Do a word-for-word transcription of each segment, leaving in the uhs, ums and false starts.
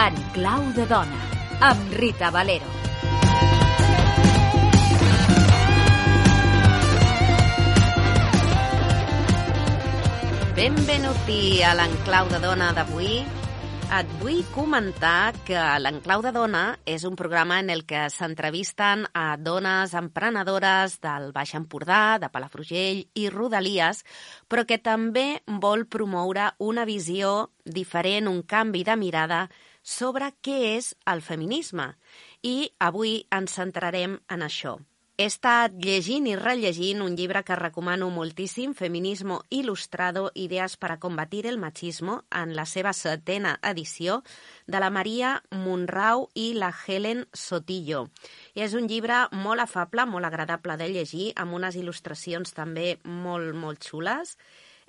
En clau de dona, amb Rita Valero. Benvenuti a l'Enclau de Dona d'avui. Et vull comentar que l'Enclau de Dona és un programa en el que s'entrevisten a dones emprenedores del Baix Empordà, de Palafrugell i Rodalies, però que també vol promoure una visió diferent, un canvi de mirada sobre què és el feminisme. I avui ens centrarem en això. He estat llegint i rellegint un llibre que recomano moltíssim, Feminismo Ilustrado, idees para combatir el machismo, en la seva setena edició, de la Maria Monrau i la Helen Sotillo. I és un llibre molt afable, molt agradable de llegir, amb unes il·lustracions també molt, molt xules,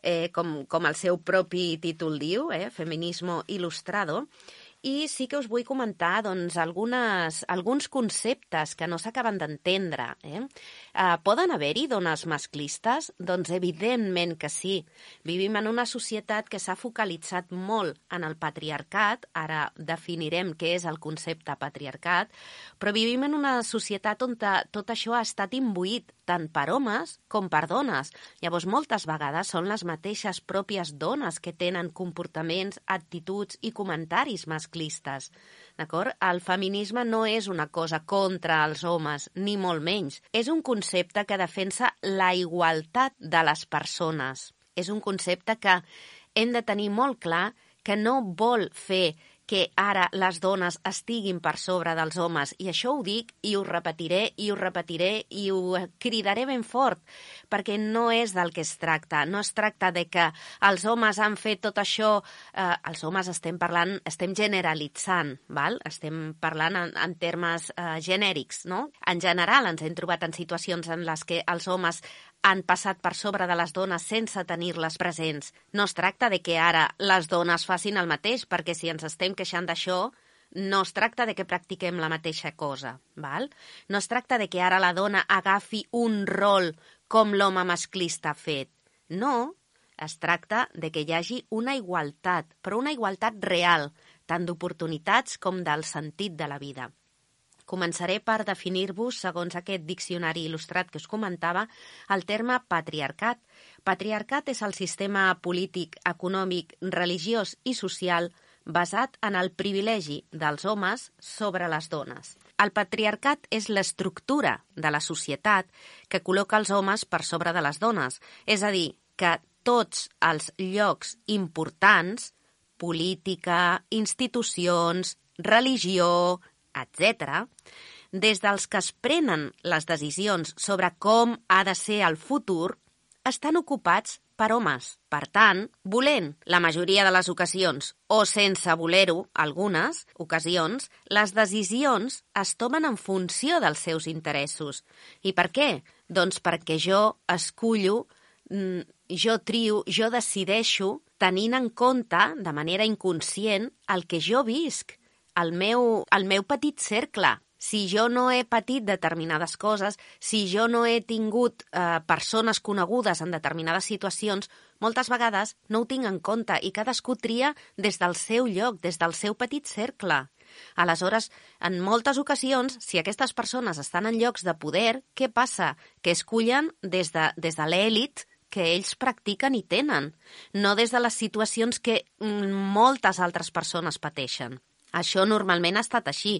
eh, com, com el seu propi títol diu, eh, Feminismo Ilustrado. I sí que us vull comentar doncs, algunes, alguns conceptes que no s'acaben d'entendre. Eh? Uh, poden haver-hi dones masclistes? Doncs evidentment que sí. Vivim en una societat que s'ha focalitzat molt en el patriarcat, ara definirem què és el concepte patriarcat, però vivim en una societat on tot això ha estat imbuït tant per homes com per dones. Llavors, moltes vegades són les mateixes pròpies dones que tenen comportaments, actituds i comentaris masclistes. D'acord? El feminisme no és una cosa contra els homes, ni molt menys. És un concepte que defensa la igualtat de les persones. És un concepte que hem de tenir molt clar que no vol fer que ara les dones estiguin per sobre dels homes. I això ho dic i ho repetiré i ho repetiré i ho cridaré ben fort, perquè no és del que es tracta. No es tracta de que els homes han fet tot això... Eh, els homes estem parlant, estem generalitzant, val? Estem parlant en, en termes eh, genèrics, no? En general ens hem trobat en situacions en les que els homes han passat per sobre de les dones sense tenir-les presents. No es tracta de que ara les dones facin el mateix, perquè si ens estem queixant d'això, no es tracta de que practiquem la mateixa cosa. Val? No es tracta de que ara la dona agafi un rol com l'home masclista ha fet. No, es tracta de que hi hagi una igualtat, però una igualtat real, tant d'oportunitats com del sentit de la vida. Començaré per definir-vos, segons aquest diccionari il·lustrat que us comentava, el terme patriarcat. Patriarcat és el sistema polític, econòmic, religiós i social basat en el privilegi dels homes sobre les dones. El patriarcat és l'estructura de la societat que col·loca els homes per sobre de les dones, és a dir, que tots els llocs importants, política, institucions, religió, etcètera, des dels que es prenen les decisions sobre com ha de ser el futur, estan ocupats per homes. Per tant, volent la majoria de les ocasions o sense voler-ho, algunes ocasions, les decisions es tomen en funció dels seus interessos. I per què? Doncs perquè jo escullo, jo trio, jo decideixo, tenint en compte, de manera inconscient, el que jo visc. El meu, el meu petit cercle. Si jo no he patit determinades coses, si jo no he tingut eh, persones conegudes en determinades situacions, moltes vegades no ho tinc en compte i cadascú tria des del seu lloc, des del seu petit cercle. Aleshores, en moltes ocasions, si aquestes persones estan en llocs de poder, què passa? Que escullen des de, des de l'èlit que ells practiquen i tenen, no des de les situacions que moltes altres persones pateixen. Això normalment ha estat així.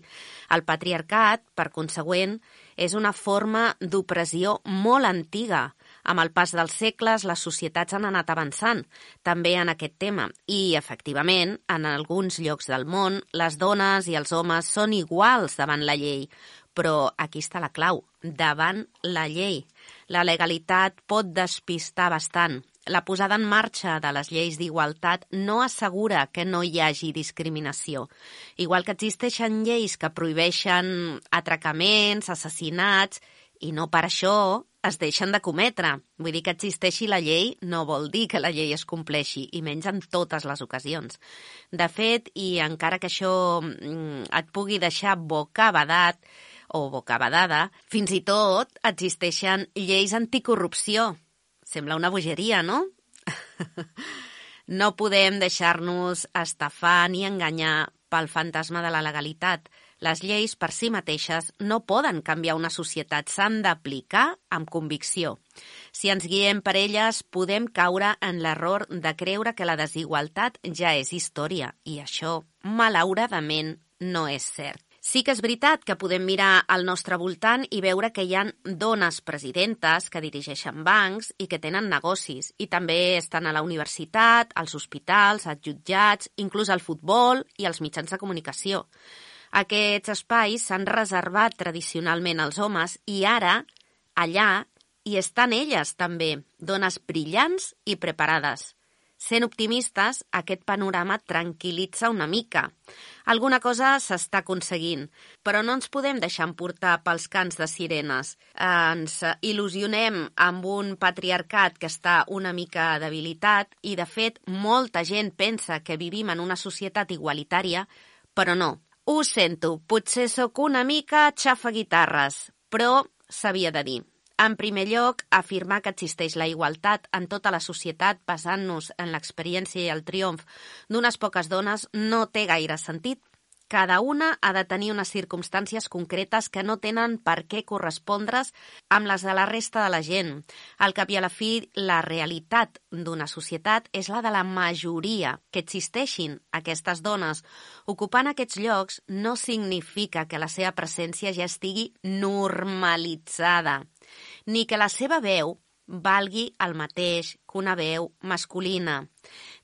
El patriarcat, per consegüent, és una forma d'opressió molt antiga. Amb el pas dels segles, les societats han anat avançant, també en aquest tema. I, efectivament, en alguns llocs del món, les dones i els homes són iguals davant la llei. Però aquí està la clau, davant la llei. La legalitat pot despistar bastant. La posada en marxa de les lleis d'igualtat no assegura que no hi hagi discriminació. Igual que existeixen lleis que prohibeixen atracaments, assassinats, i no per això es deixen de cometre. Vull dir que existeixi la llei no vol dir que la llei es compleixi, i menys en totes les ocasions. De fet, i encara que això et pugui deixar bocabadat, o bocabadada. Fins i tot existeixen lleis anticorrupció. Sembla una bogeria, no? No podem deixar-nos estafar ni enganyar pel fantasma de la legalitat. Les lleis per si mateixes no poden canviar una societat, s'han d'aplicar amb convicció. Si ens guiem per elles, podem caure en l'error de creure que la desigualtat ja és història, i això, malauradament, no és cert. Sí que és veritat que podem mirar al nostre voltant i veure que hi ha dones presidentes que dirigeixen bancs i que tenen negocis, i també estan a la universitat, als hospitals, als jutjats, inclús al futbol i als mitjans de comunicació. Aquests espais s'han reservat tradicionalment als homes i ara, allà, hi estan elles també, dones brillants i preparades. Sent optimistes, aquest panorama tranquil·litza una mica. Alguna cosa s'està aconseguint, però no ens podem deixar emportar pels cants de sirenes. Ens il·lusionem amb un patriarcat que està una mica debilitat i, de fet, molta gent pensa que vivim en una societat igualitària, però no. Ho sento, potser sóc una mica xafaguitarres, però s'havia de dir. En primer lloc, afirmar que existeix la igualtat en tota la societat basant-nos en l'experiència i el triomf d'unes poques dones no té gaire sentit. Cada una ha de tenir unes circumstàncies concretes que no tenen per què correspondre's amb les de la resta de la gent. Al cap i a la fi, la realitat d'una societat és la de la majoria. Que existeixin aquestes dones ocupant aquests llocs no significa que la seva presència ja estigui normalitzada, ni que la seva veu valgui el mateix que una veu masculina.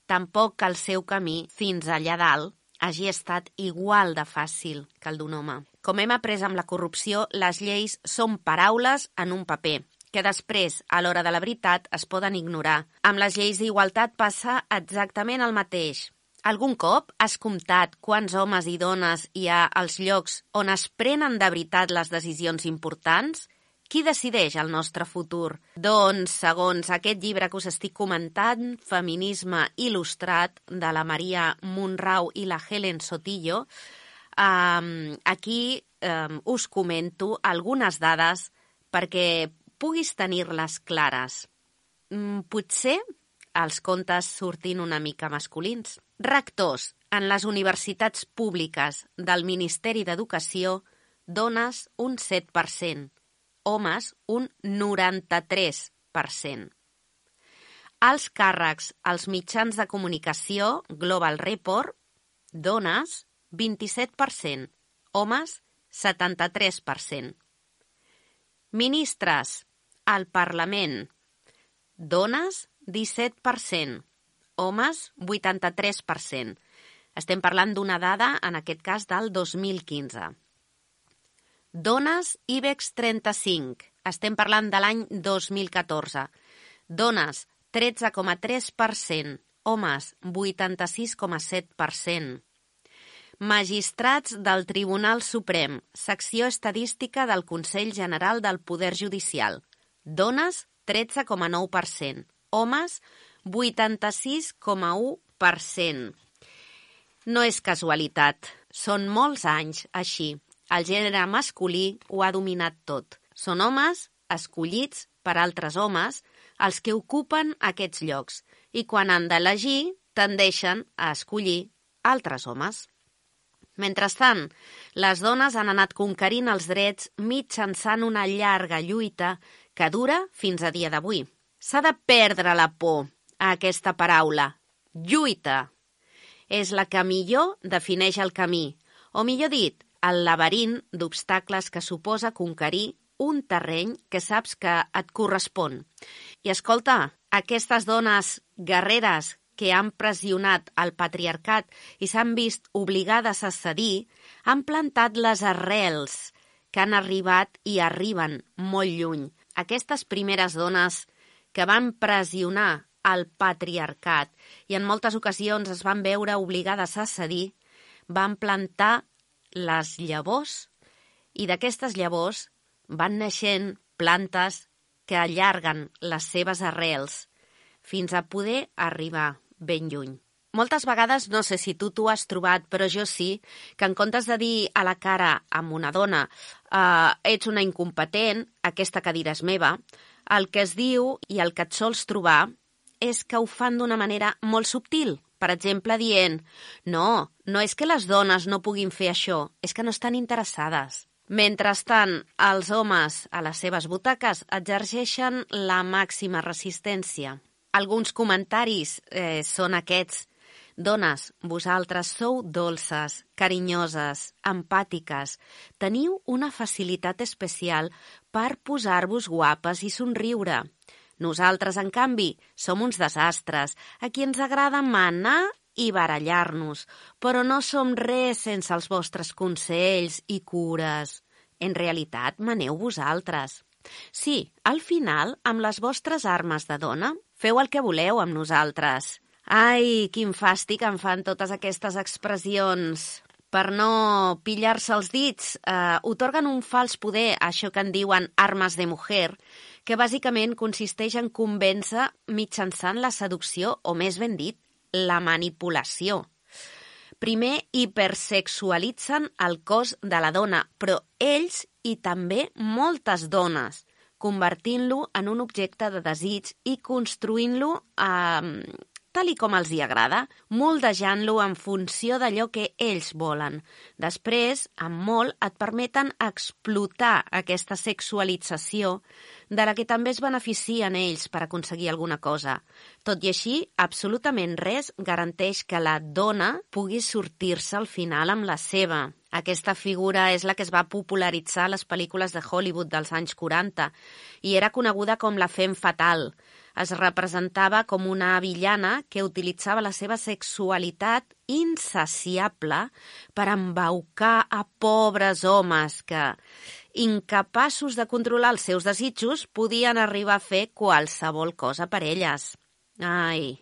Tampoc que el seu camí fins allà dalt hagi estat igual de fàcil que el d'un home. Com hem après amb la corrupció, les lleis són paraules en un paper, que després, a l'hora de la veritat, es poden ignorar. Amb les lleis d'igualtat passa exactament el mateix. Algun cop has comptat quants homes i dones hi ha als llocs on es prenen de veritat les decisions importants? Qui decideix el nostre futur? Doncs, segons aquest llibre que us estic comentant, Feminisme il·lustrat, de la Maria Monrau i la Helen Sotillo, eh, aquí eh, us comento algunes dades perquè puguis tenir-les clares. Mm, potser els contes surtin una mica masculins. Rectors en les universitats públiques del Ministeri d'Educació, dones un set per cent. Homes, un noranta-tres per cent. Als càrrecs als mitjans de comunicació, Global Report, dones, vint-i-set per cent. Homes, setanta-tres per cent. Ministres al Parlament, dones, disset per cent. Homes, vuitanta-tres per cent. Estem parlant d'una dada, en aquest cas, del dos mil quinze. Dones IBEX trenta-cinc. Estem parlant de l'any dos mil catorze. Dones, tretze coma tres per cent. Homes, vuitanta-sis coma set per cent. Magistrats del Tribunal Suprem, secció estadística del Consell General del Poder Judicial. Dones, tretze coma nou per cent. Homes, vuitanta-sis coma u per cent. No és casualitat, són molts anys així. El gènere masculí ho ha dominat tot. Són homes escollits per altres homes els que ocupen aquests llocs i quan han d'elegir tendeixen a escollir altres homes. Mentrestant, les dones han anat conquerint els drets mitjançant una llarga lluita que dura fins a dia d'avui. S'ha de perdre la por a aquesta paraula. Lluita. És la que millor defineix el camí, o millor dit, el laberint d'obstacles que suposa conquerir un terreny que saps que et correspon. I escolta, aquestes dones guerreres que han pressionat el patriarcat i s'han vist obligades a cedir, han plantat les arrels que han arribat i arriben molt lluny. Aquestes primeres dones que van pressionar el patriarcat i en moltes ocasions es van veure obligades a cedir, van plantar les llavors i d'aquestes llavors van naixent plantes que allarguen les seves arrels fins a poder arribar ben lluny. Moltes vegades, no sé si tu t'ho has trobat, però jo sí, que en comptes de dir a la cara amb una dona uh, ets una incompetent, aquesta cadira és meva, el que es diu i el que et sols trobar és que ho fan d'una manera molt subtil. Per exemple, dient, no, no és que les dones no puguin fer això, és que no estan interessades. Mentrestant, els homes a les seves butaques exerceixen la màxima resistència. Alguns comentaris eh, són aquests. Dones, vosaltres sou dolces, carinyoses, empàtiques. Teniu una facilitat especial per posar-vos guapes i somriure. Nosaltres, en canvi, som uns desastres, a qui ens agrada manar i barallar-nos, però no som res sense els vostres consells i cures. En realitat, maneu vosaltres. Sí, al final, amb les vostres armes de dona, feu el que voleu amb nosaltres. Ai, quin fàstic em fan totes aquestes expressions. Per no pillar-se els dits, eh, otorguen un fals poder a això que en diuen armes de mujer, que bàsicament consisteix en convèncer mitjançant la seducció, o més ben dit, la manipulació. Primer hipersexualitzen el cos de la dona, però ells i també moltes dones, convertint-lo en un objecte de desig i construint-lo eh, tal i com els hi agrada, moldejant-lo en funció d'allò que ells volen. Després, amb molt, et permeten explotar aquesta sexualització de la que també es beneficien ells per aconseguir alguna cosa. Tot i així, absolutament res garanteix que la dona pugui sortir-se al final amb la seva. Aquesta figura és la que es va popularitzar a les pel·lícules de Hollywood dels anys quaranta i era coneguda com la femme fatale. Es representava com una villana que utilitzava la seva sexualitat insaciable per embaucar a pobres homes que, incapaços de controlar els seus desitjos, podien arribar a fer qualsevol cosa per elles. Ai,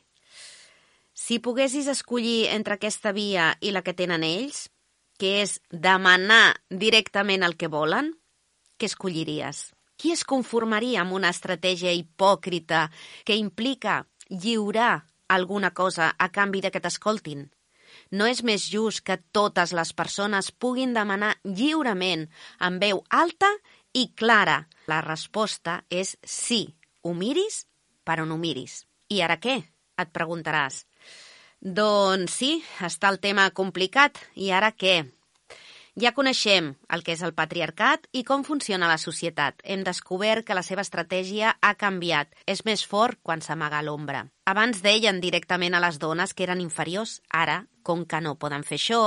si poguessis escollir entre aquesta via i la que tenen ells, que és demanar directament el que volen, què escolliries? Qui es conformaria amb una estratègia hipòcrita que implica lliurar alguna cosa a canvi de que t'escoltin? No és més just que totes les persones puguin demanar lliurement, amb veu alta i clara? La resposta és sí. Ho miris per on ho miris. I ara què? Et preguntaràs. Doncs sí, està el tema complicat. I ara què? Ja coneixem el que és el patriarcat i com funciona la societat. Hem descobert que la seva estratègia ha canviat. És més fort quan s'amaga a l'ombra. Abans deien directament a les dones que eren inferiors. Ara, com que no poden fer això,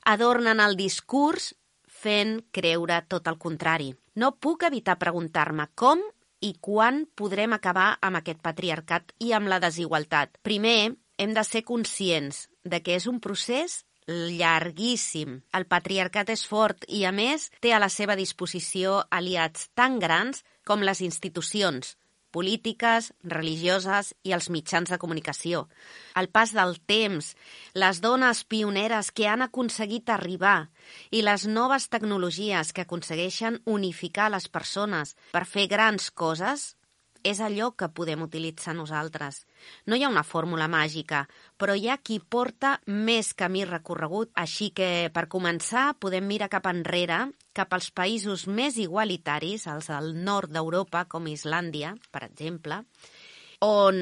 adornen el discurs fent creure tot el contrari. No puc evitar preguntar-me com i quan podrem acabar amb aquest patriarcat i amb la desigualtat. Primer, hem de ser conscients de que és un procés llarguíssim. El patriarcat és fort i, a més, té a la seva disposició aliats tan grans com les institucions polítiques, religioses i els mitjans de comunicació. Al pas del temps, les dones pioneres que han aconseguit arribar i les noves tecnologies que aconsegueixen unificar les persones per fer grans coses és allò que podem utilitzar nosaltres. No hi ha una fórmula màgica, però hi ha qui porta més camí recorregut. Així que, per començar, podem mirar cap enrere, cap als països més igualitaris, els del nord d'Europa, com Islàndia, per exemple, on,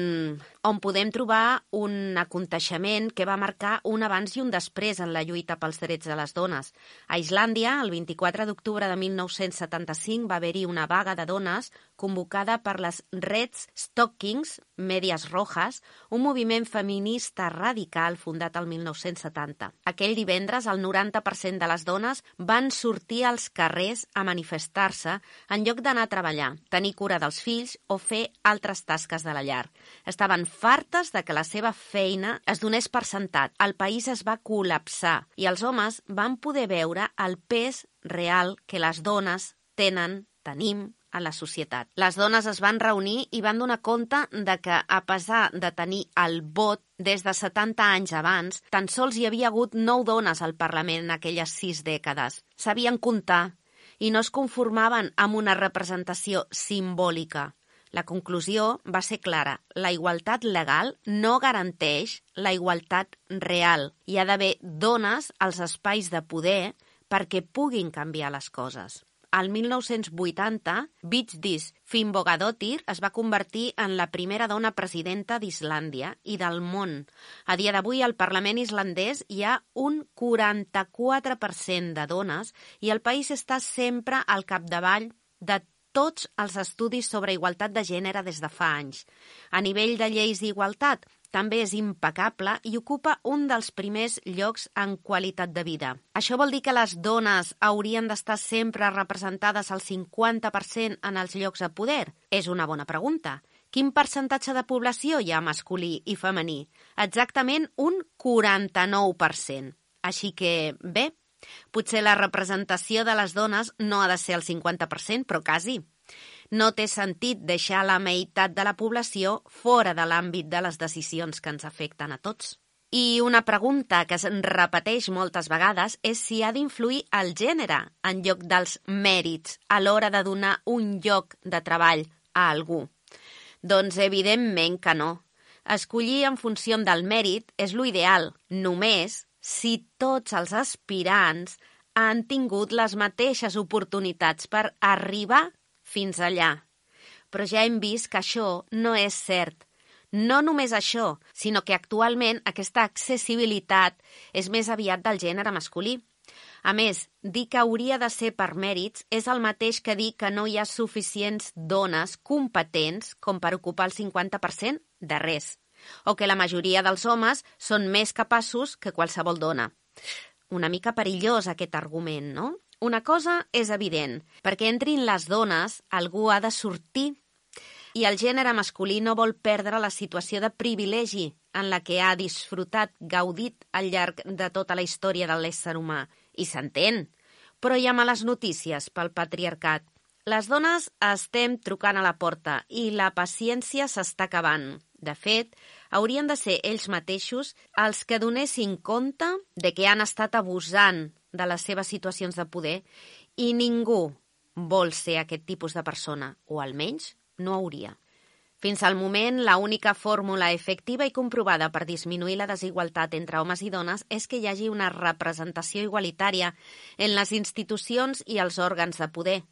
on podem trobar un aconteixement que va marcar un abans i un després en la lluita pels drets de les dones. A Islàndia, el vint-i-quatre d'octubre de mil nou-cents setanta-cinc, va haver-hi una vaga de dones convocada per les Red Stockings, Medias Rojas, un moviment feminista radical fundat el mil nou-cents setanta. Aquell divendres, el noranta per cent de les dones van sortir als carrers a manifestar-se en lloc d'anar a treballar, tenir cura dels fills o fer altres tasques de la llar. Estaven fartes de que la seva feina es donés per sentat. El país es va col·lapsar i els homes van poder veure el pes real que les dones tenen, tenim, a la societat. Les dones es van reunir i van donar compte de que, a pesar de tenir el vot des de setanta anys abans, tan sols hi havia hagut nou dones al Parlament en aquelles sis dècades. Sabien comptar i no es conformaven amb una representació simbòlica. La conclusió va ser clara. La igualtat legal no garanteix la igualtat real. Hi ha d'haver dones als espais de poder perquè puguin canviar les coses. al mil nou-cents vuitanta, Vigdís Finnbogadóttir es va convertir en la primera dona presidenta d'Islàndia i del món. A dia d'avui, al Parlament islandès hi ha un quaranta-quatre per cent de dones i el país està sempre al capdavall de tots els estudis sobre igualtat de gènere des de fa anys. A nivell de lleis d'igualtat, també és impecable i ocupa un dels primers llocs en qualitat de vida. Això vol dir que les dones haurien d'estar sempre representades al cinquanta per cent en els llocs de poder? És una bona pregunta. Quin percentatge de població hi ha masculí i femení? Exactament un quaranta-nou per cent. Així que, bé, potser la representació de les dones no ha de ser el cinquanta per cent, però quasi. No té sentit deixar la meitat de la població fora de l'àmbit de les decisions que ens afecten a tots. I una pregunta que es repeteix moltes vegades és si ha d'influir el gènere en lloc dels mèrits a l'hora de donar un lloc de treball a algú. Doncs evidentment que no. Escollir en funció del mèrit és l'ideal, només si tots els aspirants han tingut les mateixes oportunitats per arribar fins allà. Però ja hem vist que això no és cert. No només això, sinó que actualment aquesta accessibilitat és més aviat del gènere masculí. A més, dir que hauria de ser per mèrits és el mateix que dir que no hi ha suficients dones competents com per ocupar el cinquanta per cent de res, o que la majoria dels homes són més capaços que qualsevol dona. Una mica perillós aquest argument, no? Una cosa és evident, perquè entrin les dones, algú ha de sortir, i el gènere masculí no vol perdre la situació de privilegi en la que ha disfrutat, gaudit al llarg de tota la història de l'ésser humà. I s'entén, però hi ha males notícies pel patriarcat. Les dones estem trucant a la porta i la paciència s'està acabant. De fet, haurien de ser ells mateixos els que donessin compte de que han estat abusant de les seves situacions de poder i ningú vol ser aquest tipus de persona, o almenys no hauria. Fins al moment, l'única fórmula efectiva i comprovada per disminuir la desigualtat entre homes i dones és que hi hagi una representació igualitària en les institucions i els òrgans de poder.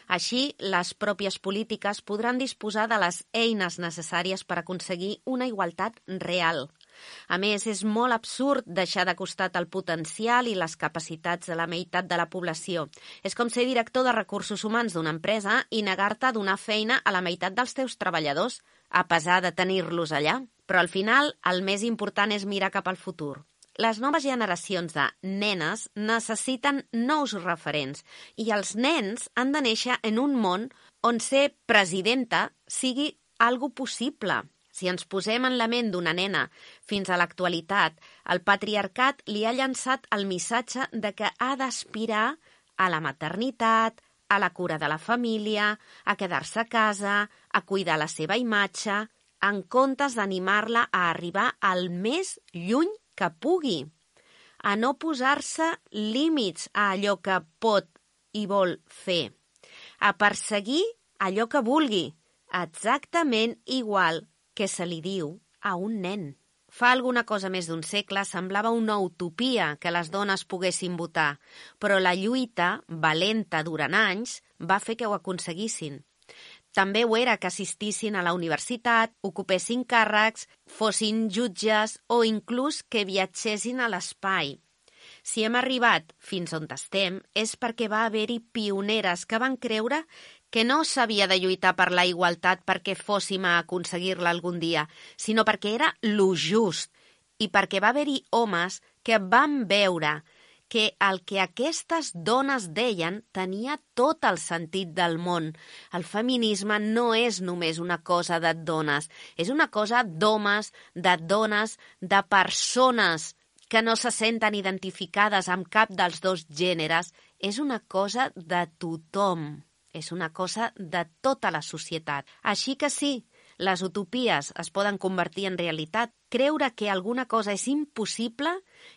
Així, les pròpies polítiques podran disposar de les eines necessàries per aconseguir una igualtat real. A més, és molt absurd deixar de costat el potencial i les capacitats de la meitat de la població. És com ser director de recursos humans d'una empresa i negar-te a donar feina a la meitat dels teus treballadors, a pesar de tenir-los allà. Però al final, el més important és mirar cap al futur. Les noves generacions de nenes necessiten nous referents i els nens han de néixer en un món on ser presidenta sigui algo possible. Si ens posem en la ment d'una nena fins a l'actualitat, el patriarcat li ha llançat el missatge de que ha d'aspirar a la maternitat, a la cura de la família, a quedar-se a casa, a cuidar la seva imatge, en comptes d'animar-la a arribar al més lluny que pugui, a no posar-se límits a allò que pot i vol fer, a perseguir allò que vulgui, exactament igual que se li diu a un nen. Fa alguna cosa més d'un segle semblava una utopia que les dones poguessin votar, però la lluita, valenta durant anys, va fer que ho aconseguissin. També ho era que assistissin a la universitat, ocupessin càrrecs, fossin jutges o inclús que viatgessin a l'espai. Si hem arribat fins on estem és perquè va haver-hi pioneres que van creure que no s'havia de lluitar per la igualtat perquè fóssim a aconseguir-la algun dia, sinó perquè era lo just i perquè va haver-hi homes que van veure que el que aquestes dones deien tenia tot el sentit del món. El feminisme no és només una cosa de dones, és una cosa d'homes, de dones, de persones que no se senten identificades amb cap dels dos gèneres. És una cosa de tothom, és una cosa de tota la societat. Així que sí, les utopies es poden convertir en realitat. Creure que alguna cosa és impossible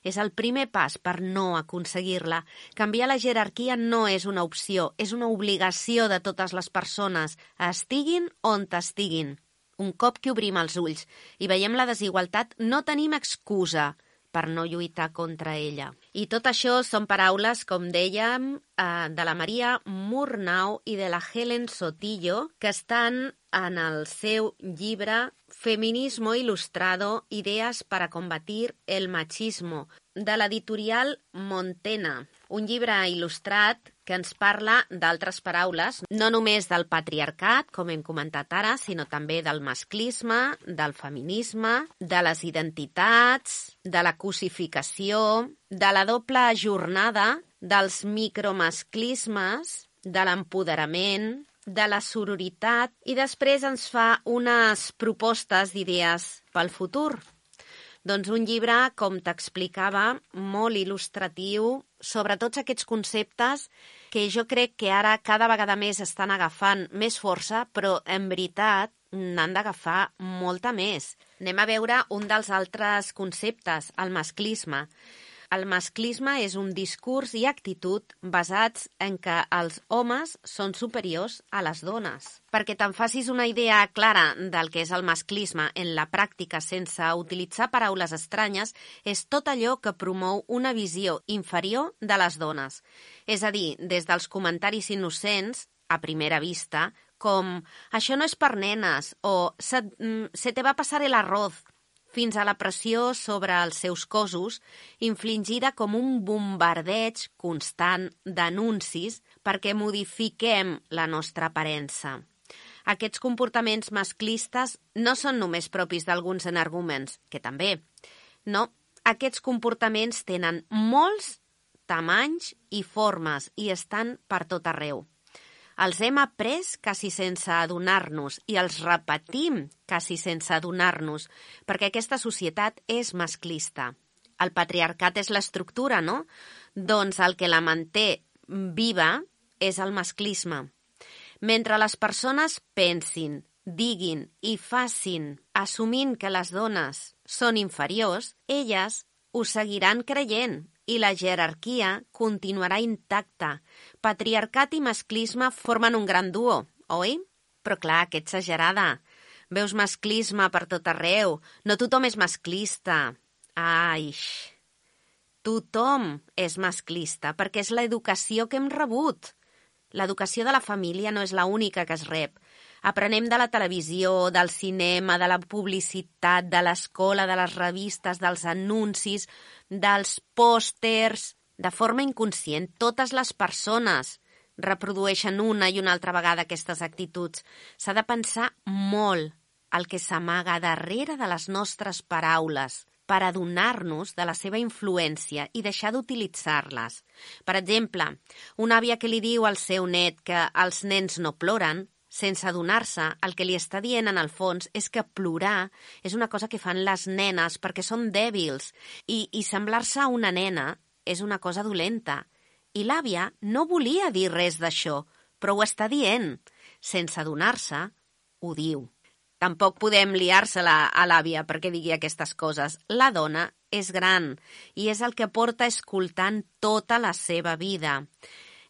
és el primer pas per no aconseguir-la. Canviar la jerarquia no és una opció, és una obligació de totes les persones, estiguin on estiguin. Un cop que obrim els ulls i veiem la desigualtat, no tenim excusa per no lluitar contra ella. I tot això són paraules, com dèiem, eh, de la Maria Murnau i de la Helen Sotillo, que estan en el seu llibre Feminismo Ilustrado, ideas para combatir el machismo, de l'editorial Montena, un llibre il·lustrat que ens parla d'altres paraules, no només del patriarcat, com hem comentat ara, sinó també del masclisme, del feminisme, de les identitats, de la cosificació, de la doble jornada, dels micromasclismes, de l'empoderament, de la sororitat, i després ens fa unes propostes d'idees pel futur. Doncs un llibre, com t'explicava, molt il·lustratiu sobre tots aquests conceptes que jo crec que ara cada vegada més estan agafant més força, però en veritat n'han d'agafar molta més. Anem a veure un dels altres conceptes, el masclisme. El masclisme és un discurs i actitud basats en què els homes són superiors a les dones. Perquè te'n facis una idea clara del que és el masclisme en la pràctica sense utilitzar paraules estranyes, és tot allò que promou una visió inferior de les dones. És a dir, des dels comentaris innocents, a primera vista, com «això no és per nenes» o «se, se te va passar el arroz», fins a la pressió sobre els seus cossos, infligida com un bombardeig constant d'anuncis perquè modifiquem la nostra aparença. Aquests comportaments masclistes no són només propis d'alguns energúmens, que també. No, aquests comportaments tenen molts tamanys i formes i estan per tot arreu. Els hem après quasi sense adonar-nos i els repetim quasi sense adonar-nos, perquè aquesta societat és masclista. El patriarcat és l'estructura, no? Doncs el que la manté viva és el masclisme. Mentre les persones pensin, diguin i facin, assumint que les dones són inferiors, elles ho seguiran creient i la jerarquia continuarà intacta. Patriarcat i masclisme formen un gran duo, oi? Però clar, que exagerada. Veus masclisme per tot arreu. No tothom és masclista. Ai, tothom és masclista perquè és l'educació que hem rebut. L'educació de la família no és l'única que es rep. Aprenem de la televisió, del cinema, de la publicitat, de l'escola, de les revistes, dels anuncis, dels pòsters. De forma inconscient, totes les persones reprodueixen una i una altra vegada aquestes actituds. S'ha de pensar molt el que s'amaga darrere de les nostres paraules per adonar-nos de la seva influència i deixar d'utilitzar-les. Per exemple, una àvia que li diu al seu net que els nens no ploren, sense adonar-se, el que li està dient en el fons és que plorar és una cosa que fan les nenes perquè són dèbils i, i semblar-se a una nena és una cosa dolenta. I l'àvia no volia dir res d'això, però ho està dient. Sense adonar-se, ho diu. Tampoc podem liar-se-la a l'àvia perquè digui aquestes coses. La dona és gran i és el que porta escoltant tota la seva vida.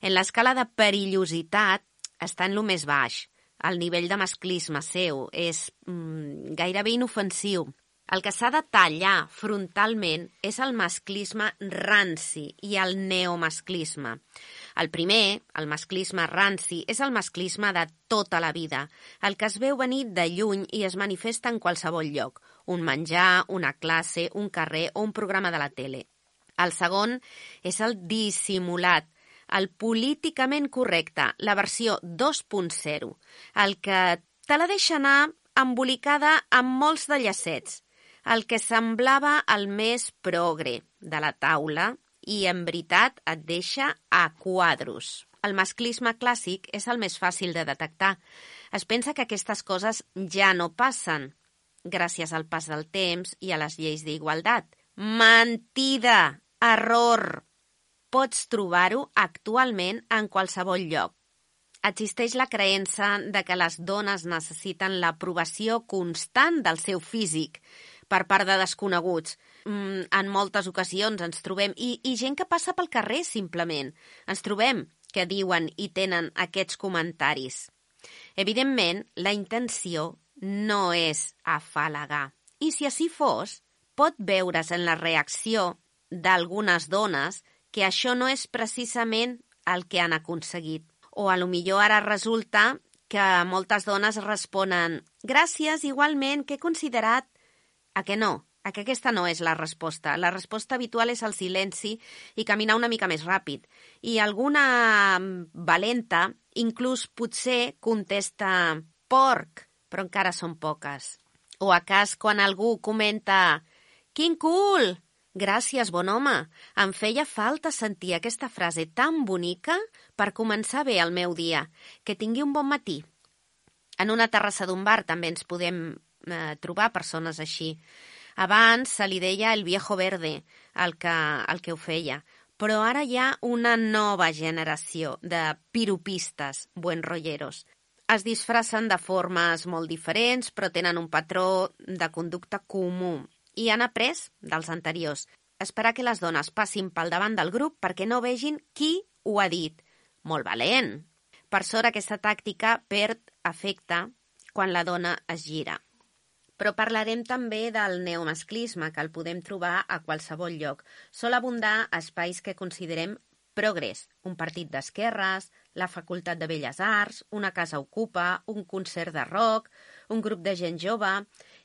En l'escala de perillositat està en lo més baix. El nivell de masclisme seu és mm, gairebé inofensiu. El que s'ha de tallar frontalment és el masclisme ranci i el neomasclisme. El primer, el masclisme ranci, és el masclisme de tota la vida, el que es veu venir de lluny i es manifesta en qualsevol lloc, un menjar, una classe, un carrer o un programa de la tele. El segon és el dissimulat, el políticament correcte, la versió dos punt zero, el que te la deixa anar embolicada amb molts de llacets, el que semblava el més progre de la taula i en veritat et deixa a quadros. El masclisme clàssic és el més fàcil de detectar. Es pensa que aquestes coses ja no passen, gràcies al pas del temps i a les lleis d'igualtat. Mentida! Error! Pots trobar-ho actualment en qualsevol lloc. Existeix la creença de que les dones necessiten l'aprovació constant del seu físic per part de desconeguts. Mm, en moltes ocasions ens trobem, i, i gent que passa pel carrer simplement, ens trobem que diuen i tenen aquests comentaris. Evidentment, la intenció no és afalagar. I si així fos, pot veure's en la reacció d'algunes dones que això no és precisament el que han aconseguit. O a lo millor ara resulta que moltes dones responen «Gràcies, igualment, que he considerat...» A que no? A que aquesta no és la resposta. La resposta habitual és el silenci i caminar una mica més ràpid. I alguna valenta inclús potser contesta «porc», però encara són poques. O a cas quan algú comenta «Quin cul!» Gràcies, bon home. Em feia falta sentir aquesta frase tan bonica per començar bé el meu dia. Que tingui un bon matí. En una terrassa d'un bar també ens podem eh, trobar persones així. Abans se li deia el viejo verde, el que, el que ho feia. Però ara hi ha una nova generació de piropistes buenrolleros. Es disfracen de formes molt diferents, però tenen un patró de conducta comú. I han après dels anteriors. Esperar que les dones passin pel davant del grup perquè no vegin qui ho ha dit. Molt valent! Per sort, aquesta tàctica perd efecte quan la dona es gira. Però parlarem també del neomasclisme, que el podem trobar a qualsevol lloc. Sol abundar a espais que considerem progrés. Un partit d'esquerres, la Facultat de Belles Arts, una casa ocupa, un concert de rock, un grup de gent jove...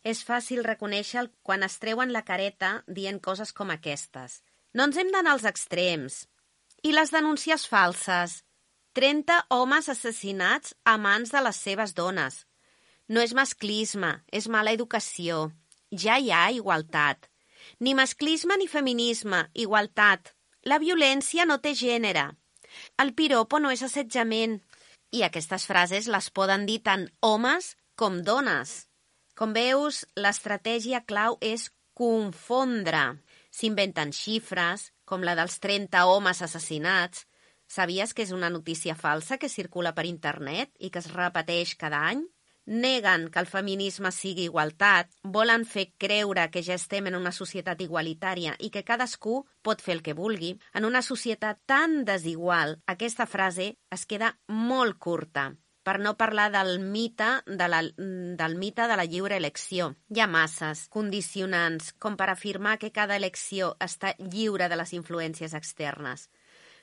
És fàcil reconèixer quan es treuen la careta dient coses com aquestes. No ens hem d'anar als extrems. I les denúncies falses. trenta homes assassinats a mans de les seves dones. No és masclisme, és mala educació. Ja hi ha igualtat. Ni masclisme ni feminisme, igualtat. La violència no té gènere. El piropo no és assetjament. I aquestes frases les poden dir tant homes com dones. Com veus, l'estratègia clau és confondre. S'inventen xifres, com la dels trenta homes assassinats. Sabies que és una notícia falsa que circula per internet i que es repeteix cada any? Neguen que el feminisme sigui igualtat, volen fer creure que ja estem en una societat igualitària i que cadascú pot fer el que vulgui. En una societat tan desigual, aquesta frase es queda molt curta. Per no parlar del mite de la, del mite de la lliure elecció. Hi ha masses condicionants com per afirmar que cada elecció està lliure de les influències externes.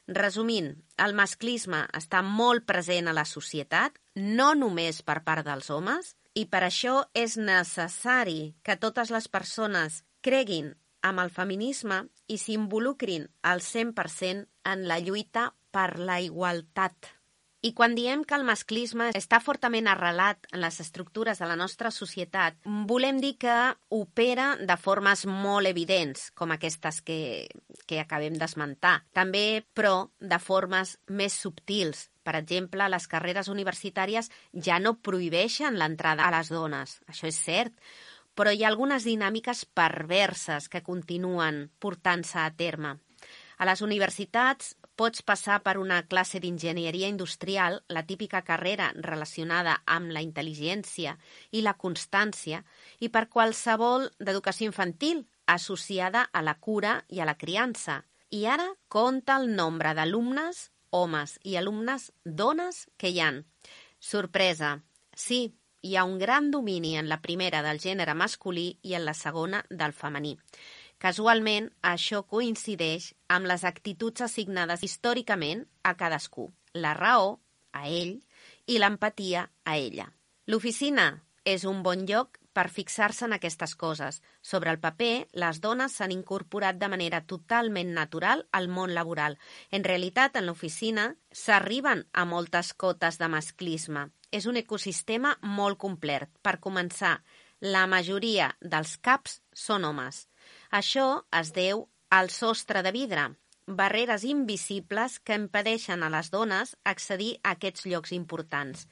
Resumint, el masclisme està molt present a la societat, no només per part dels homes, i per això és necessari que totes les persones creguin amb el feminisme i s'involucrin al cent per cent en la lluita per la igualtat. I quan diem que el masclisme està fortament arrelat en les estructures de la nostra societat, volem dir que opera de formes molt evidents, com aquestes que, que acabem d'esmentar. També, però, de formes més subtils. Per exemple, les carreres universitàries ja no prohibeixen l'entrada a les dones, això és cert, però hi ha algunes dinàmiques perverses que continuen portant-se a terme. A les universitats pots passar per una classe d'enginyeria industrial, la típica carrera relacionada amb la intel·ligència i la constància, i per qualsevol d'educació infantil associada a la cura i a la criança. I ara compta el nombre d'alumnes, homes i alumnes dones que hi han. Sorpresa! Sí, hi ha un gran domini en la primera del gènere masculí i en la segona del femení. Casualment, això coincideix amb les actituds assignades històricament a cadascú, la raó a ell i l'empatia a ella. L'oficina és un bon lloc per fixar-se en aquestes coses. Sobre el paper, les dones s'han incorporat de manera totalment natural al món laboral. En realitat, en l'oficina s'arriben a moltes cotes de masclisme. És un ecosistema molt complet. Per començar, la majoria dels caps són homes. Això es deu al sostre de vidre, barreres invisibles que impedeixen a les dones accedir a aquests llocs importants.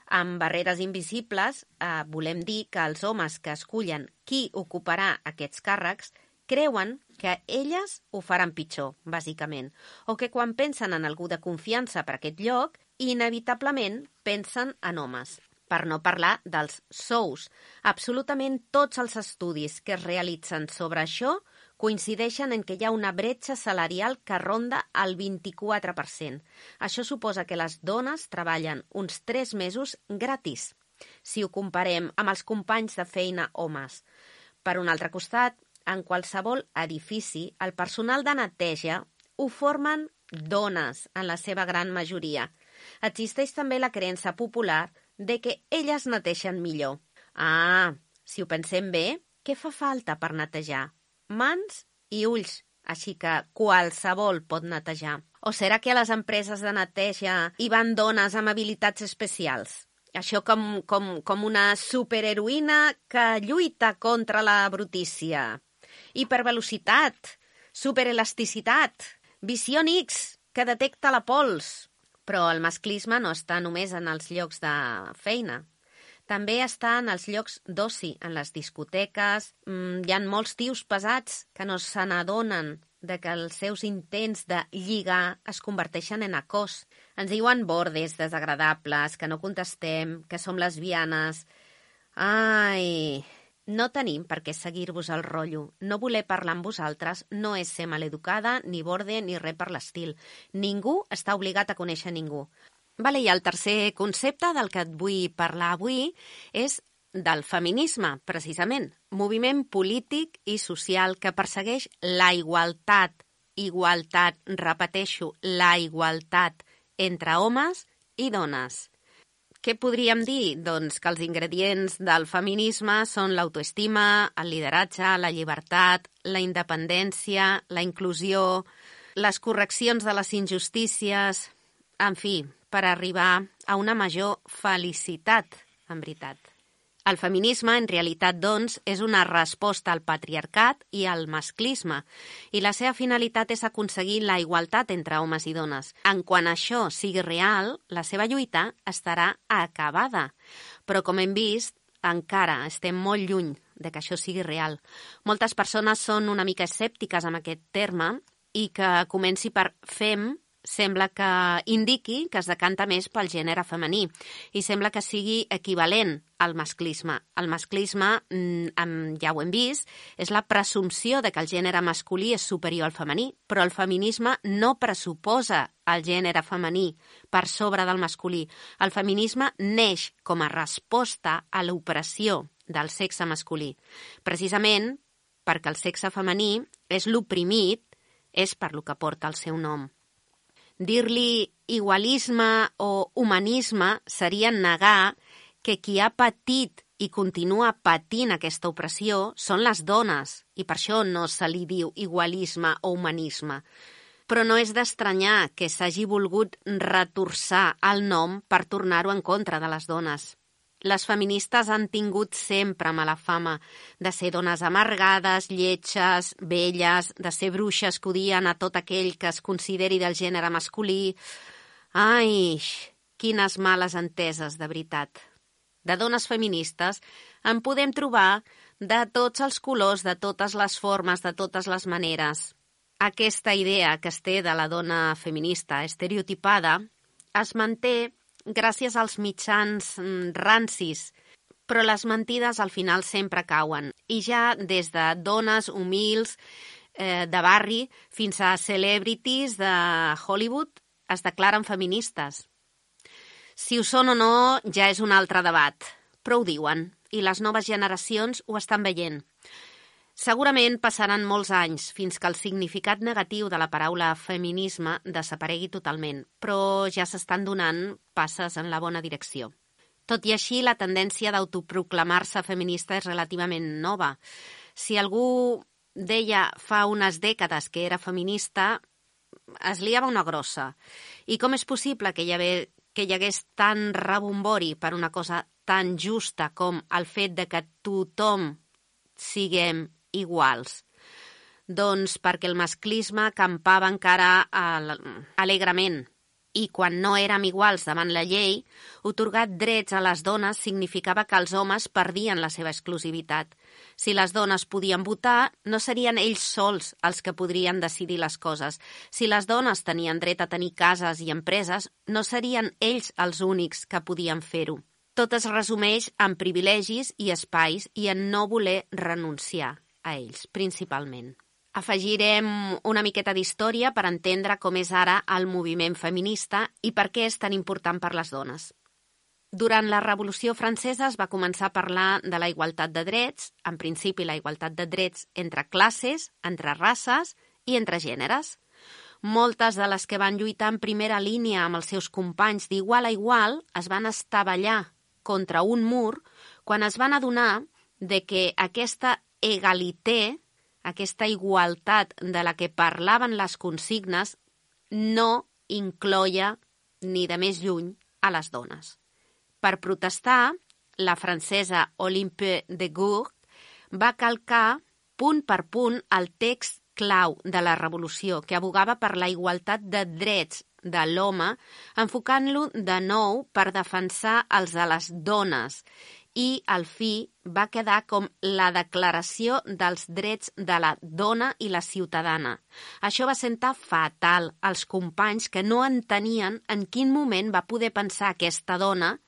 Amb barreres invisibles eh, volem dir que els homes que escullen qui ocuparà aquests càrrecs creuen que elles ho faran pitjor, bàsicament, o que quan pensen en algú de confiança per aquest lloc, inevitablement pensen en homes. Per no parlar dels sous. Absolutament tots els estudis que es realitzen sobre això coincideixen en que hi ha una bretxa salarial que ronda el vint-i-quatre per cent. Això suposa que les dones treballen uns tres mesos gratis, si ho comparem amb els companys de feina homes. Per un altre costat, en qualsevol edifici, el personal de neteja ho formen dones en la seva gran majoria. Existeix també la creença popular de que elles neteixen millor. Ah, si ho pensem bé, què fa falta per netejar? Mans i ulls, així que qualsevol pot netejar. O serà que a les empreses de neteja hi van dones amb habilitats especials? Això com, com, com una superheroïna que lluita contra la brutícia. Hipervelocitat, superelasticitat, visió X, que detecta la pols. Però el masclisme no està només en els llocs de feina. També està en els llocs d'oci, en les discoteques. Mm, hi ha molts tios pesats que no se n'adonen de que els seus intents de lligar es converteixen en acòs. Ens diuen bordes desagradables, que no contestem, que som lesbianes. Ai, no tenim per què seguir-vos el rotllo. No voler parlar amb vosaltres no és ser maleducada, ni borde, ni res per l'estil. Ningú està obligat a conèixer ningú. Vale, i el tercer concepte del que et vull parlar avui és del feminisme, precisament. Moviment polític i social que persegueix la igualtat. Igualtat, repeteixo, la igualtat entre homes i dones. Què podríem dir? Doncs que els ingredients del feminisme són l'autoestima, el lideratge, la llibertat, la independència, la inclusió, les correccions de les injustícies, en fi, per arribar a una major felicitat, en veritat. El feminisme, en realitat, doncs, és una resposta al patriarcat i al masclisme, i la seva finalitat és aconseguir la igualtat entre homes i dones. En quan això sigui real, la seva lluita estarà acabada. Però, com hem vist, encara estem molt lluny de que això sigui real. Moltes persones són una mica escèptiques amb aquest terme i que comenci per fem sembla que indiqui que es decanta més pel gènere femení i sembla que sigui equivalent al masclisme. El masclisme, ja ho hem vist, és la presumpció de que el gènere masculí és superior al femení, però el feminisme no pressuposa el gènere femení per sobre del masculí. El feminisme neix com a resposta a l'opressió del sexe masculí. Precisament perquè el sexe femení és l'oprimit, és per lo que porta el seu nom. Dir-li igualisme o humanisme seria negar que qui ha patit i continua patint aquesta opressió són les dones, i per això no se li diu igualisme o humanisme. Però no és d'estranyar que s'hagi volgut retorçar el nom per tornar-ho en contra de les dones. Les feministes han tingut sempre mala fama de ser dones amargades, lletges, velles, de ser bruixes que odien a tot aquell que es consideri del gènere masculí. Ai, quines males enteses, de veritat. De dones feministes en podem trobar de tots els colors, de totes les formes, de totes les maneres. Aquesta idea que es té de la dona feminista estereotipada es manté gràcies als mitjans rancis, però les mentides al final sempre cauen. I ja des de dones humils eh, de barri fins a celebrities de Hollywood es declaren feministes. Si ho són o no ja és un altre debat, però ho diuen, i les noves generacions ho estan veient. Segurament passaran molts anys fins que el significat negatiu de la paraula feminisme desaparegui totalment, però ja s'estan donant passes en la bona direcció. Tot i així, la tendència d'autoproclamar-se feminista és relativament nova. Si algú deia fa unes dècades que era feminista, es liava una grossa. I com és possible que hi hagués, que hi hagués tant rebombori per una cosa tan justa com el fet de que tothom siguem iguals? Doncs perquè el masclisme campava encara alegrement i quan no érem iguals davant la llei, atorgar drets a les dones significava que els homes perdien la seva exclusivitat. Si les dones podien votar, no serien ells sols els que podrien decidir les coses. Si les dones tenien dret a tenir cases i empreses, no serien ells els únics que podien fer-ho. Tot es resumeix en privilegis i espais i en no voler renunciar a ells, principalment. Afegirem una miqueta d'història per entendre com és ara el moviment feminista i per què és tan important per les dones. Durant la Revolució Francesa es va començar a parlar de la igualtat de drets, en principi la igualtat de drets entre classes, entre races i entre gèneres. Moltes de les que van lluitar en primera línia amb els seus companys d'igual a igual es van estavellar contra un mur quan es van adonar de que aquesta egalité, aquesta igualtat de la que parlaven les consignes, no incloia ni de més lluny a les dones. Per protestar, la francesa Olympe de Gouges va calcar punt per punt el text clau de la revolució, que abogava per la igualtat de drets de l'home, enfocant-lo de nou per defensar els de les dones, i al fi va quedar com la declaració dels drets de la dona i la ciutadana. Això va sentar fatal als companys que no entenien en quin moment va poder pensar aquesta dona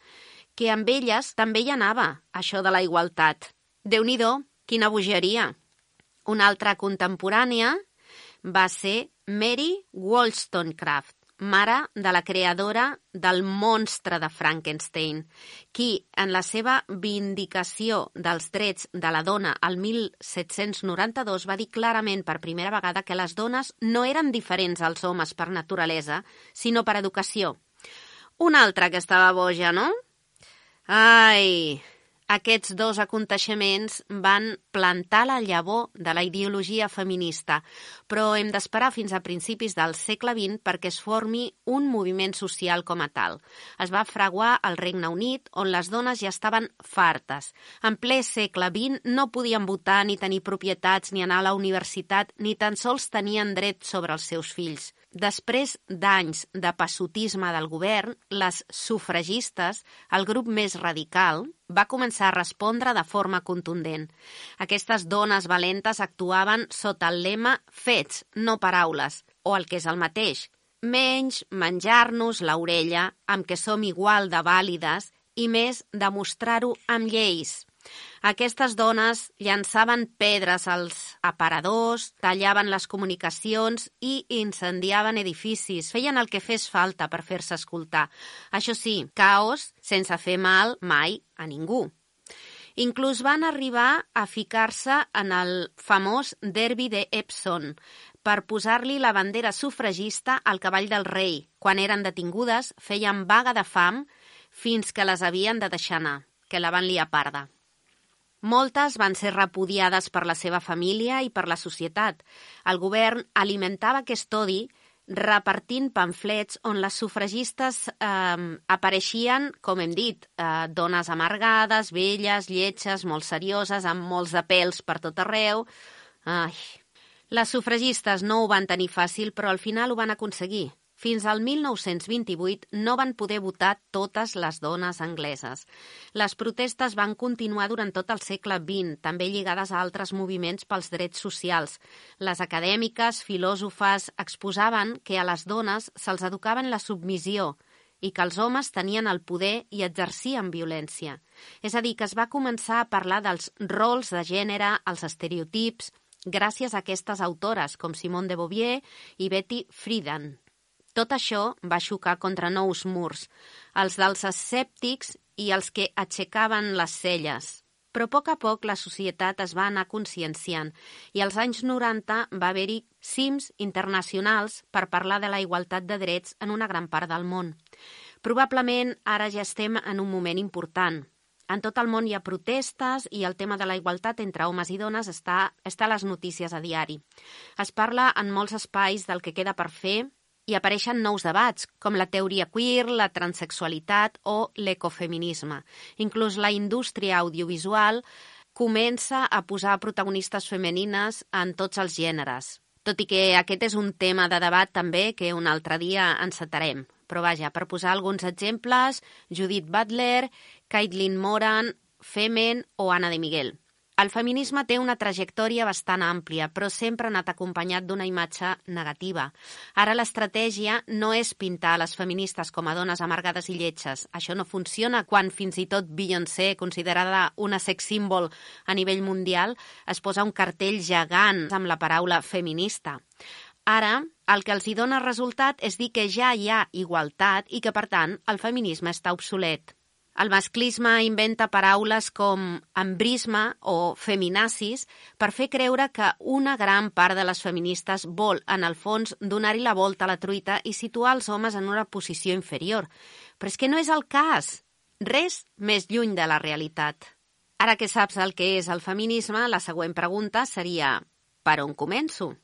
que amb elles també hi anava, això de la igualtat. Déu-n'hi-do, quina bogeria! Una altra contemporània va ser Mary Wollstonecraft, mare de la creadora del monstre de Frankenstein, qui, en la seva vindicació dels drets de la dona al mil set-cents noranta-dos, va dir clarament per primera vegada que les dones no eren diferents als homes per naturalesa, sinó per educació. Una altra que estava boja, no? Ai, aquests dos aconteixements van plantar la llavor de la ideologia feminista, però hem d'esperar fins a principis del segle vint perquè es formi un moviment social com a tal. Es va fraguar al Regne Unit, on les dones ja estaven fartes. En ple segle vint no podien votar ni tenir propietats ni anar a la universitat, ni tan sols tenien dret sobre els seus fills. Després d'anys de passotisme del govern, les sufragistes, el grup més radical, va començar a respondre de forma contundent. Aquestes dones valentes actuaven sota el lema fets, no paraules, o el que és el mateix, menys menjar-nos l'orella amb què som igual de vàlides i més demostrar-ho amb lleis. Aquestes dones llançaven pedres als aparadors, tallaven les comunicacions i incendiaven edificis. Feien el que fes falta per fer-se escoltar. Això sí, caos sense fer mal mai a ningú. Inclús van arribar a ficar-se en el famós derbi de Epsom per posar-li la bandera sufragista al cavall del rei. Quan eren detingudes, feien vaga de fam fins que les havien de deixar anar, que la van liar parda. Moltes van ser repudiades per la seva família i per la societat. El govern alimentava aquest odi repartint pamflets on les sufragistes eh, apareixien, com hem dit, eh, dones amargades, velles, lletges, molt serioses, amb molts de pèls per tot arreu. Ai. Les sufragistes no ho van tenir fàcil, però al final ho van aconseguir. Fins al mil nou-cents vint-i-vuit no van poder votar totes les dones angleses. Les protestes van continuar durant tot el segle vint, també lligades a altres moviments pels drets socials. Les acadèmiques, filòsofes, exposaven que a les dones se'ls educava en la submissió i que els homes tenien el poder i exercien violència. És a dir, que es va començar a parlar dels rols de gènere, els estereotips, gràcies a aquestes autores com Simone de Beauvoir i Betty Friedan. Tot això va xocar contra nous murs, els dels escèptics i els que aixecaven les celles. Però a poc a poc la societat es va anar conscienciant i als anys noranta va haver-hi cims internacionals per parlar de la igualtat de drets en una gran part del món. Probablement ara ja estem en un moment important. En tot el món hi ha protestes i el tema de la igualtat entre homes i dones està, està a les notícies a diari. Es parla en molts espais del que queda per fer i apareixen nous debats, com la teoria queer, la transexualitat o l'ecofeminisme. Inclús la indústria audiovisual comença a posar protagonistes femenines en tots els gèneres. Tot i que aquest és un tema de debat també que un altre dia encetarem. Però vaja, per posar alguns exemples, Judith Butler, Caitlin Moran, Femen o Anna de Miguel. El feminisme té una trajectòria bastant àmplia, però sempre ha anat acompanyat d'una imatge negativa. Ara l'estratègia no és pintar les feministes com a dones amargades i lletges. Això no funciona quan fins i tot Beyoncé, considerada una sex symbol a nivell mundial, es posa un cartell gegant amb la paraula feminista. Ara, el que els hi dona resultat és dir que ja hi ha igualtat i que, per tant, el feminisme està obsolet. El masclisme inventa paraules com embrisme o feminazis per fer creure que una gran part de les feministes vol, en el fons, donar-hi la volta a la truita i situar els homes en una posició inferior. Però és que no és el cas. Res més lluny de la realitat. Ara que saps el que és el feminisme, la següent pregunta seria: per on començo?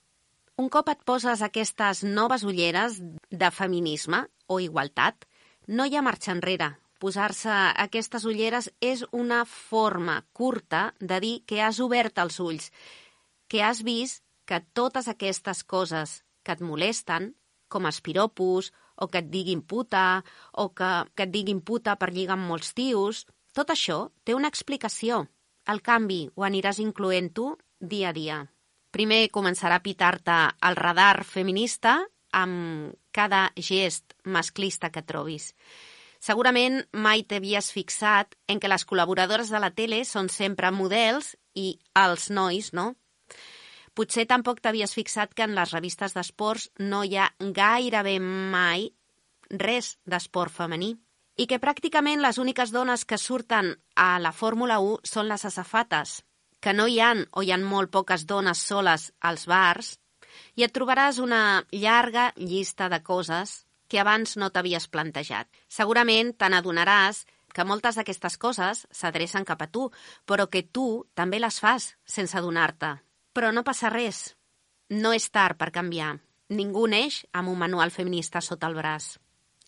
Un cop et poses aquestes noves ulleres de feminisme o igualtat, no hi ha marxa enrere. Posar-se aquestes ulleres és una forma curta de dir que has obert els ulls, que has vist que totes aquestes coses que et molesten, com els piropos, o que et diguin puta, o que, que et diguin puta per lligar amb molts tios, tot això té una explicació. El canvi ho aniràs incloent tu dia a dia. Primer començarà a pitar-te el radar feminista amb cada gest masclista que trobis. Segurament mai t'havies fixat en que les col·laboradores de la tele són sempre models i els nois, no? Potser tampoc t'havies fixat que en les revistes d'esports no hi ha gairebé mai res d'esport femení i que pràcticament les úniques dones que surten a la Fórmula u són les azafates, que no hi han o hi ha molt poques dones soles als bars, i et trobaràs una llarga llista de coses que abans no t'havies plantejat. Segurament te n'adonaràs que moltes d'aquestes coses s'adrecen cap a tu, però que tu també les fas sense adonar-te. Però no passa res. No és tard per canviar. Ningú neix amb un manual feminista sota el braç.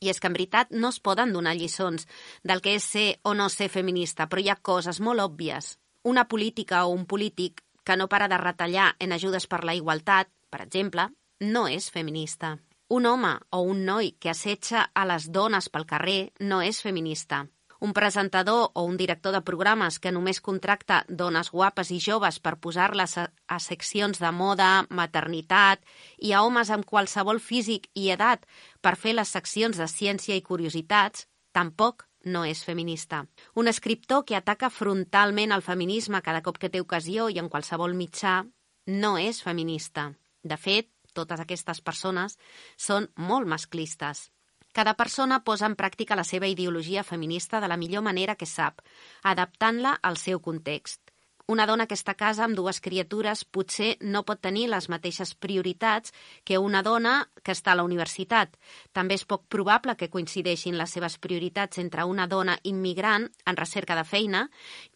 I és que en veritat no es poden donar lliçons del que és ser o no ser feminista, però hi ha coses molt òbvies. Una política o un polític que no para de retallar en ajudes per la igualtat, per exemple, no és feminista. Un home o un noi que assetja a les dones pel carrer no és feminista. Un presentador o un director de programes que només contracta dones guapes i joves per posar-les a, a seccions de moda, maternitat i a homes amb qualsevol físic i edat per fer les seccions de ciència i curiositats, tampoc no és feminista. Un escriptor que ataca frontalment el feminisme cada cop que té ocasió i en qualsevol mitjà no és feminista. De fet, totes aquestes persones són molt masclistes. Cada persona posa en pràctica la seva ideologia feminista de la millor manera que sap, adaptant-la al seu context. Una dona que està a casa amb dues criatures potser no pot tenir les mateixes prioritats que una dona que està a la universitat. També és poc probable que coincideixin les seves prioritats entre una dona immigrant en recerca de feina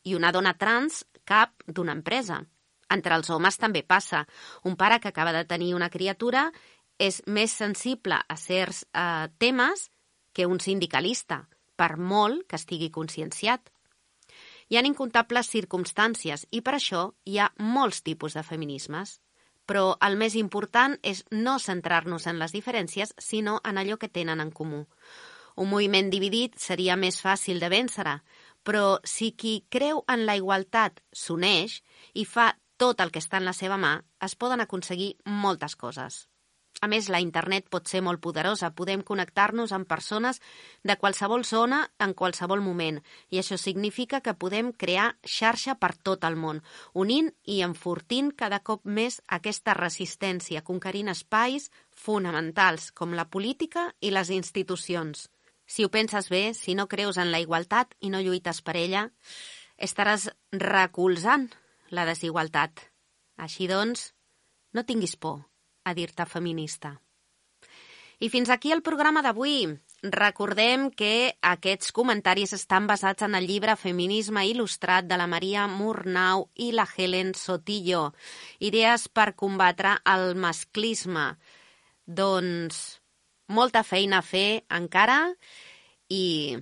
i una dona trans cap d'una empresa. Entre els homes també passa. Un pare que acaba de tenir una criatura és més sensible a certs eh, temes que un sindicalista, per molt que estigui conscienciat. Hi ha incomptables circumstàncies i per això hi ha molts tipus de feminismes. Però el més important és no centrar-nos en les diferències, sinó en allò que tenen en comú. Un moviment dividit seria més fàcil de vèncer, però si qui creu en la igualtat s'uneix i fa tot el que està en la seva mà, es poden aconseguir moltes coses. A més, la internet pot ser molt poderosa. Podem connectar-nos amb persones de qualsevol zona en qualsevol moment. I això significa que podem crear xarxa per tot el món, unint i enfortint cada cop més aquesta resistència, conquerint espais fonamentals com la política i les institucions. Si ho penses bé, si no creus en la igualtat i no lluites per ella, estaràs recolzant la desigualtat. Així doncs, no tinguis por a dir-te feminista. I fins aquí el programa d'avui. Recordem que aquests comentaris estan basats en el llibre Feminisme il·lustrat de la Maria Murnau i la Helen Sotillo. Idees per combatre el masclisme. Doncs molta feina a fer encara i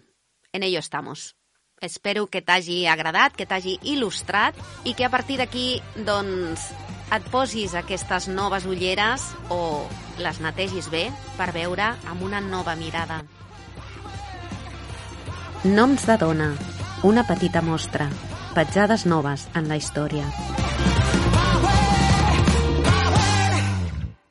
en ello estamos. Espero que t'hagi agradat, que t'hagi il·lustrat i que a partir d'aquí, doncs, et posis aquestes noves ulleres o les netegis bé per veure amb una nova mirada. Noms de dona, una petita mostra, petjades noves en la història.